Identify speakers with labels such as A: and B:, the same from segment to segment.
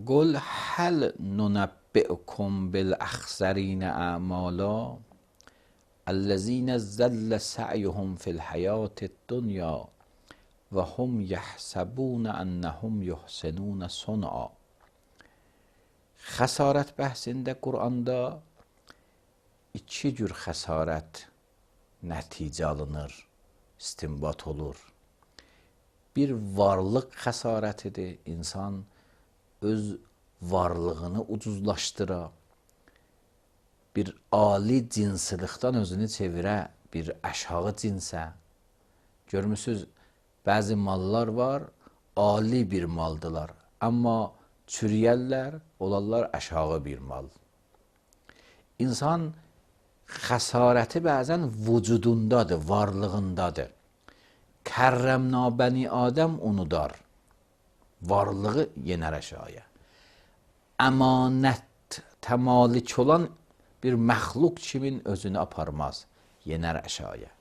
A: قل هل ننبئكم بالاخسرین اعمالا الذین ضل سعیهم فی الحیاة الدنیا و هم یحسبون انهم یحسنون صنعا. Xəsarət bəhsində Quranda iki cür xəsarət nəticə alınır, istinbat olur. Bir varlıq xəsarətidir, insan öz varlığını ucuzlaşdıra, bir ali cinsilikdən özünü çevirə, bir aşağı cinsə. Görmüsünüz, bəzi mallar var, ali bir maldılar, amma çürüyərlər, olarlar aşağı bir mal. İnsan xəsarəti bəzən vücudundadır, varlığındadır. Kərrəmna bəni Adəm unudar, varlığı yenər aşağıya. Əmanət təmalik olan bir məxluq kimin özünü aparmaz, yenər aşağıya.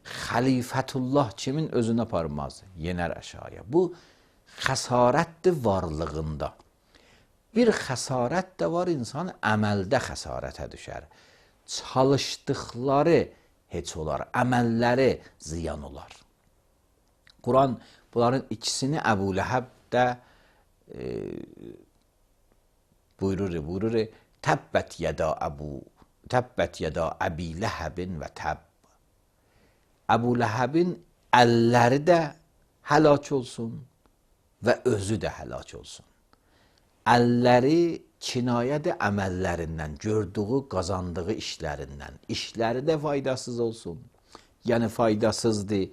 A: Xəlifətullah kimin özünü aparmaz, yenər aşağıya. Bu xəsarətdir varlığında. Bir xəsarət də var, insan əməldə xəsarətə düşər. Çalışdıqları heç olar, əməlləri ziyan olar. Quran bunların ikisini Əbu Ləhəb də buyurur. Təbbət yəda Əbi Ləhəbin və təbb. Əbu Ləhəbin əlləri də həlak olsun və özü də həlak olsun. Əlləri kinayədir əməllərindən, gördüyü, qazandığı işlərindən. İşləri də faydasız olsun. Yəni faydasızdır.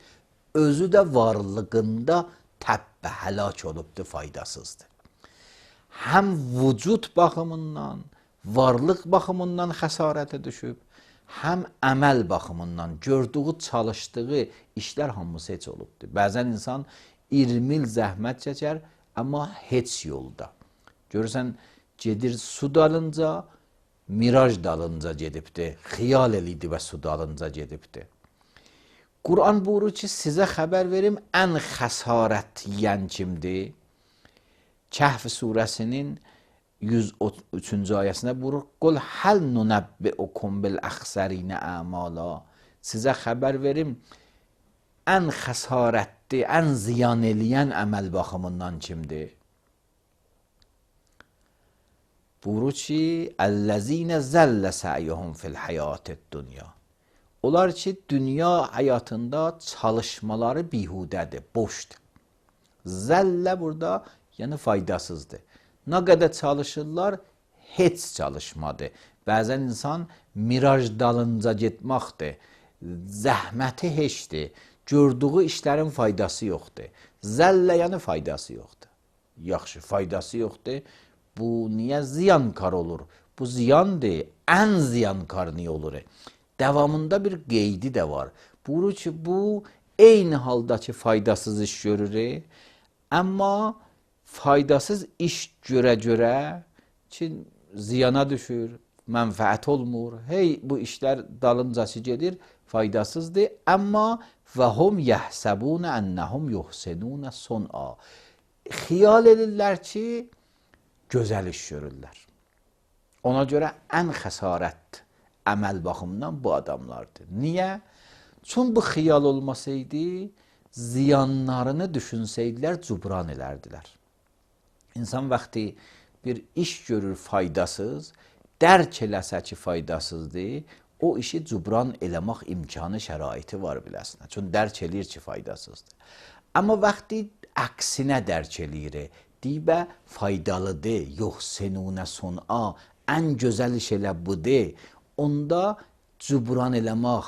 A: Özü də varlığında təbbə həlak olubdur, faydasızdır. Həm vücud baxımından, varlıq baxımından xəsarətə düşüb, həm əməl baxımından gördüyü, çalışdığı işlər hamısı heç olubdur. Bəzən insan 20 il zəhmət çəkər, amma heç yolda. Görürsən, gedir su dalınca, miraj dalınca gedibdir, xiyal eliydi və su dalınca gedibdir. Quran buyurur ki, sizə xəbər verim, ən xəsarət yiyən kimdir? Kəhf surəsinin 103-cü ayəsində buyurur, Qul həl nunəbbi'ukum bil-əxsərinə əmala. Sizə xəbər verim, ən xəsarətli, ən ziyan eləyən əməl baxımından kimdir? Buyurur ki, Əl-ləzinə zəllə sə'yuhum fil-həyatid-dünya. Onlar ki, dünya həyatında çalışmaları bihudədir, boşdur. Zəllə burada, yəni faydasızdır. Nə qədər çalışırlar, heç çalışmadır. Bəzən insan miraj dalınca getməkdir, zəhməti heçdir, gördüyü işlərin faydası yoxdur. Zəllə yəni faydası yoxdur. Yaxşı, faydası yoxdur. Bu niyə ziyankar olur? Bu ziyandır, ən ziyankar niyə olur? Davamında bir qeydi də var. Buyurur ki, bu eyni halda ki, faydasız iş görür, amma faydasız iş görə ki, ziyana düşür, mənfəət olmur. Hey, bu işlər dalıncası gedir, faydasızdır, amma və hum yəhsəbunə ennəhum yuhsinunə son'a. Xiyal edirlər ki, gözəl iş görürlər. Ona görə ən xəsarət əməl baxımından bu adamlardır. Niyə? Çünki bu xiyal olmasaydı, ziyanlarını düşünsəydilər, cubran elərdilər. İnsan vaxtı bir iş görür faydasız, dərk eləsə ki, faydasızdır, o işi cubran eləmək imkanı, şəraiti var biləsinə. Çünki dərk eləyir ki, faydasızdır. Amma vaxtı əksinə dərk eləyir, deyibə faydalıdır, yoxsenunə son'a, ən gözəl iş elə budur. Onda cubran eləmək,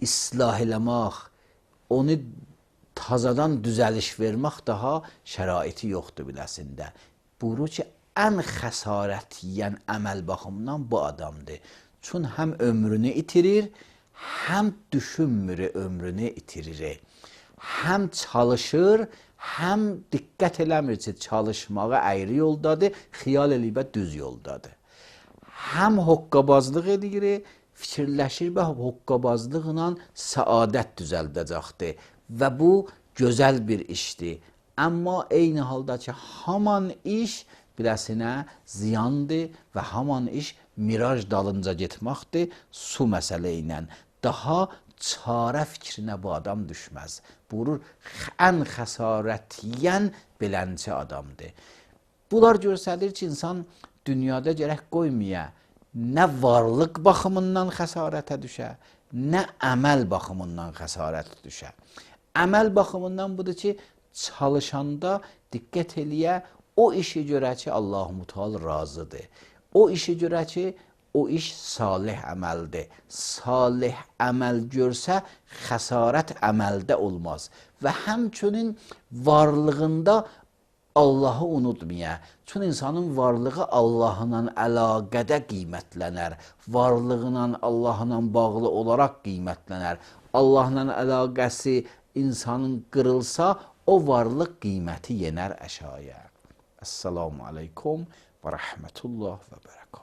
A: islah eləmək, onu tazadan düzəliş vermək daha şəraiti yoxdur biləsində. Buyurur ki, ən xəsarət yiyən əməl baxımından bu adamdır. Çünki həm ömrünü itirir, həm düşünmür ömrünü itirir. Həm çalışır, həm diqqət eləmir ki, çalışmağa əyri yoldadır, xiyal eləyibə düz yoldadır. Həm hoqqabazlıq edir, fikirləşir və hoqqabazlıqla səadət düzəldəcəkdir və bu gözəl bir işdir. Amma eyni halda ki, haman iş biləsinə ziyandır və haman iş miraj dalınca getməkdir su məsələ ilə. Daha çarə fikrinə bu adam düşməz. Buyurur, ən xəsarətliyən belənçi adamdır. Bunlar göstərir ki, insan dünyada gərək qoymaya nə varlıq baxımından xəsarətə düşə, nə əməl baxımından xəsarət düşə. Əməl baxımından budur ki, çalışanda diqqət eləyə, o işi görə ki, Allah-u Teala razıdır. O işi görə ki, o iş salih əməldir. Salih əməl görsə, xəsarət əməldə olmaz. Və həmçinin varlığında Allahı unutmaya. Çünki insanın varlığı Allahla əlaqədə qiymətlənər. Varlığıyla Allahla bağlı olaraq qiymətlənər. Allahla əlaqəsi insanın qırılsa, o varlıq qiyməti yenər əşaya. Əssalamu aleykum və rəhmətullah və bərəkət.